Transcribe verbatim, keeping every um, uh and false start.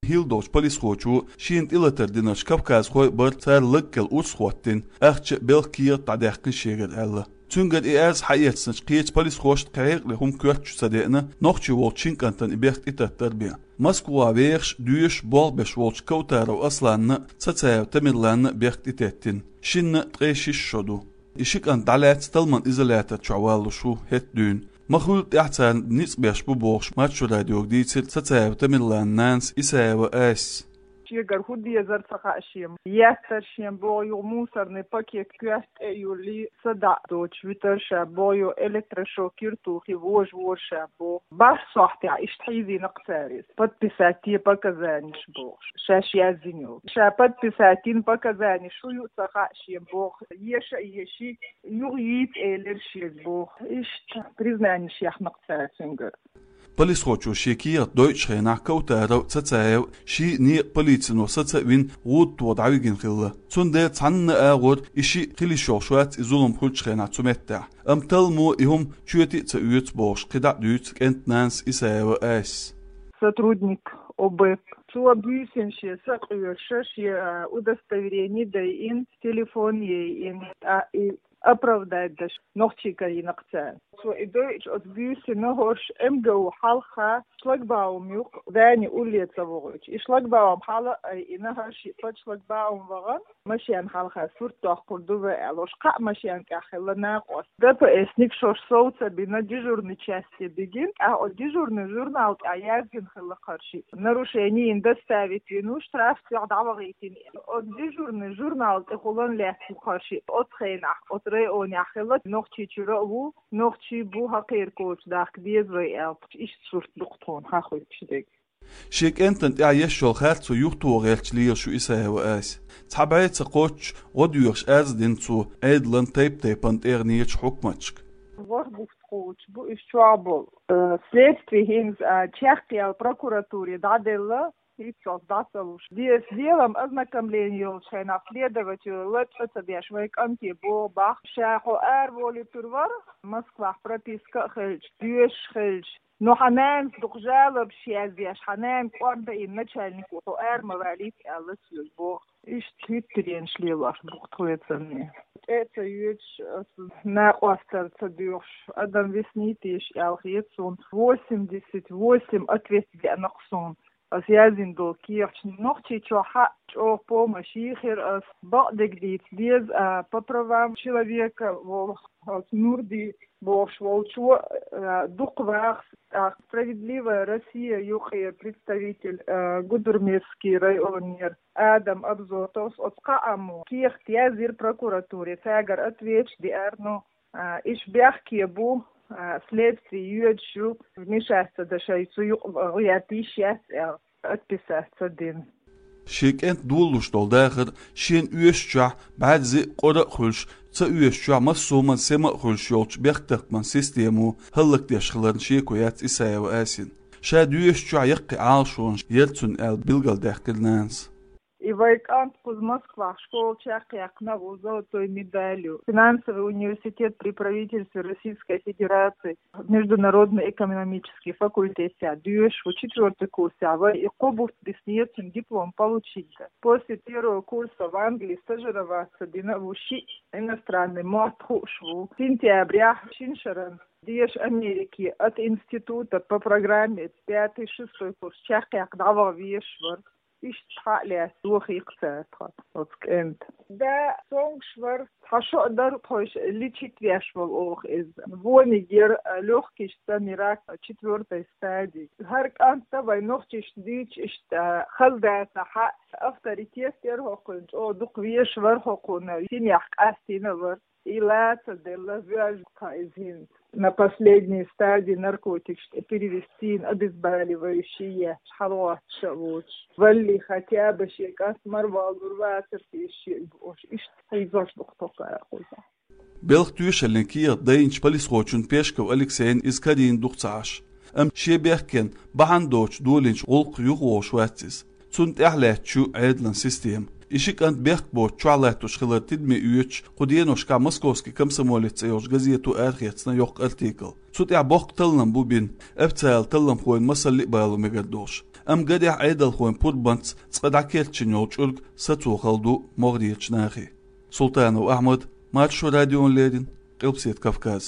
ХӀилла долчу полисхочо шена тӀелатар динарш кавказхой бара, цара лаг кӀел урс хӀоттийна, ахча а, белхан кехат а дӀадаьккхина шегара аьлла. Цуьнгара и арз хьаэцначу кхечу полисхошна кхин хьекъале хӀума коьртачу ца деана, нохчи волчу шина кӀантана и бехк тӀетаттар бен. Москвахь вехаш, доьшуш, болх беш волчу Кавтаров Асланна а, Цацаев Тамерланна а бехк тӀететтина. Шинна ткъе шиша шо ду. И ши кӀант дӀалаьцна талламан изолятор чохь валлалуш ву хӀетахь дуьйна. Ма хуьллу тӀаьхьа царна ницкъ беш бу бохуш, Маршо радиога дийцира Цацаев Тамерлан нанас Исаева Асис. Шегара хӀун дезара ца хаьа шен. Еттара шен боху юха мусорный пакет коьрта тӀе а юьллий, садаӀа доцуш вуьтура ша боху, юха электрошокер тухий вожавора ша боху. БархӀ сохьтехь иштта хьийзийна-кх цара иза. Подписать де показаниш бохуш, шаьш яздина йолу. Ша подписать йина показаниш хӀун ю ца хаьа шен боху. Еша а еший, юха йийца элира шега боху. Иштта признаниш яьхна-кх цара цуьнгара. Полисхочо шен кехат дойучу хенахь Кавтаров а, Цацаев а ший некъа полицино саца а вина, гӀуда тоха дӀавигина хилла. Цундела цхьанна а агӀор и шиъ хила йиш йолуш вац и зулам хуьлучу хенахь цу меттехь. Амма талламо и хӀума чоьте а ца оьцу бохуш, кхидӀа а дуьйцу кӀентан нанас Исаева Асис. Сотрудник ОБЭП. Цо буьйсина шен са къоьшуш, шен, а, удостоверение дайина, телефон яйина, тӀаккха и оправдать деш нохчийн карийна-кх цара. Цо и дойучу оцу буьйсина хӀорш МГУ хьалха шлагбаум ю-кх, Ваня улле ца вогӀуьйтуш. И шлагбаум хьала а айина, хӀара шиъ под шлагбаум вахана, машен хьалха сурт доккхур ду вай аьлла, хӀорш кхаа машен тӀехь хилла накъост. ДПСник шорш сов ца бина, дежурный часте бигина, тӀаккха оцу дежурный журнал тӀехь яздина хилла-кх хӀара шиъ. Нарушение йина доставить вина ву, штраф тӀехь дӀавахийтина. Оцу дежурный журнал тӀехула лаьцна-кх хӀара шиъ. Оцу хенахь оцу районехь хилла, Нохчийчуьра а ву, нохчий бу, хьакхеркочу дахка деза вай аьлла, иштта сурт ду-кх тхуна хьахуьйтуш дерг. Шен кӀентана тӀехь еш йолу харцо юхатоха гӀерташ лелаш ву Исаева Ася. Цхьа бӀе ца кхоччуш гӀо доьхуш арз дина цо Ӏедалан тайп-тайпана тӀегӀанечу хьукматашка. ВорхӀ бутт кхочуш бу уьш чохь болу. Э, следствие хӀинца, а, чекхъяьлла прокуратуре дӀаделла, хӀинццалц дӀа ца луш. Деза делам ознакомление йолчу хенахь следователь ла цӀа ца беш, вай кӀанте боху боху. Ша хьо араволуьйтур вара, Москвахь прописка а хилча, доьшуш хилча. Ну, хьан нанас дукха жалобаш яздеш, хьан нана кӀордаийна начальник ву, хьо ара ма валийта аьлла соьга боху. Иштта хӀуьттаренаш лелош бу-кх тхоьцанне. ТӀе а ца йоьдуш, аса накъосталла ца доьхуш, адам виснийта еш аьлла хета суна. Восемьдесят восемь ответ деана-кх суна. Аса яздина долу кехаташ. Нохчийчохь а чӀогӀа помощь йийхира аса. Бакъдерг дийца деза, а, по правам человека волу, аса Нурди бохуш волчо, а, дукха вахас, а, «Справедливая Россия» юкъера представитель, а, Гудермесский районера Адам Абзотовс оцу кхааммо кехат яздира прокуратуре, цаьргара ответаш деара, ну, а, иш бехке бу, а, следствие йоьдуш ю, вмешаться дан шайн цу юкъа гӀерта йиш яц аьлла, отписаться дина. Шен кӀентан долалуш долу дахар шена оьшучохь бӀаьрзе а, къора а хуьлуш, ца оьшучохь массо а хӀуманна сема а хуьлуш йолчу бехктакхаман системо хӀаллакдеш хиларна шеко яц Исаева Асина. Ша доьшучохь яккхий Ӏалашонаш яра цуьнан аьлла билгалдаьккхира нанас. И вай кӀант кхуза Москвахь школа чекхъяьккхина ву золотой медалью. Финансовый университет при правительстве Российской Федерации, международно-экономический факультетехь доьшуш ву, четвёртый курсехь вара, и кхо бутт биснера цуьнан диплом получить дан. После первого курса в Англии стажироваться дина ву, шиъ иностранный мотт хууш ву. Сентябрехь шина шарна деша Америке от института по программе пятый, шестой курс чекхъяккха дӀаваха везаш вара. Иштта хьа а лаьцна, дохийкх цара тхан оцу кӀентан. Да, цомгуш вара, цхьа шо а дара тхойша лечить веш волу оха иза. Вониг яра, лёгкийчу цӀанийн рак четвёртой стадии. ХӀара кӀант а вай нохчашна дуьйцуш иштта хала дацахь а, авторитет яра хӀокхуьнан, чӀогӀа дукха везаш вара хӀокхуьнан, синехь къастийна а вара. И лаца делла, воьжна тхан иза хӀинца. На последней стадии наркотикаш тӀе перевестийна, обезболивающие еш, хьалагӀоттуш а воцуш. Валли, хотя бы шен кӀант марваллур вацара те шиъ бохуш, иштта хьийзош ду-кх тхо кхузахь. Белхан тоьшаллин кехат дайначу полисхочун Пешков Алексейна иза карийна ду-кх ца Ӏаш. Амма шен бехкенна бахьана доцуш долийначу гӀуллакхах юхаволуш вац иза. Цунна тӀаьхьалаьтташ ю Ӏедалан система. И ши кӀант бехк боцуш чохь латтош хилар тидаме оьцуш, кху деношкахь «Московский комсомолец» цӀе йолчу газето арахецна йоккха артикл. Цу тӀехь боккха таллам бу бина, официалан талламхойн масаллиъ бало мегар долуш. Амма гарехь, Ӏедалхойн пурбанца цкъа дӀакерчина йолу чӀуьрг сацо хала ду могӀарерчу нахе. Султанов Ахьмад, Маршо радиона леррина, Къилбаседа Кавказ.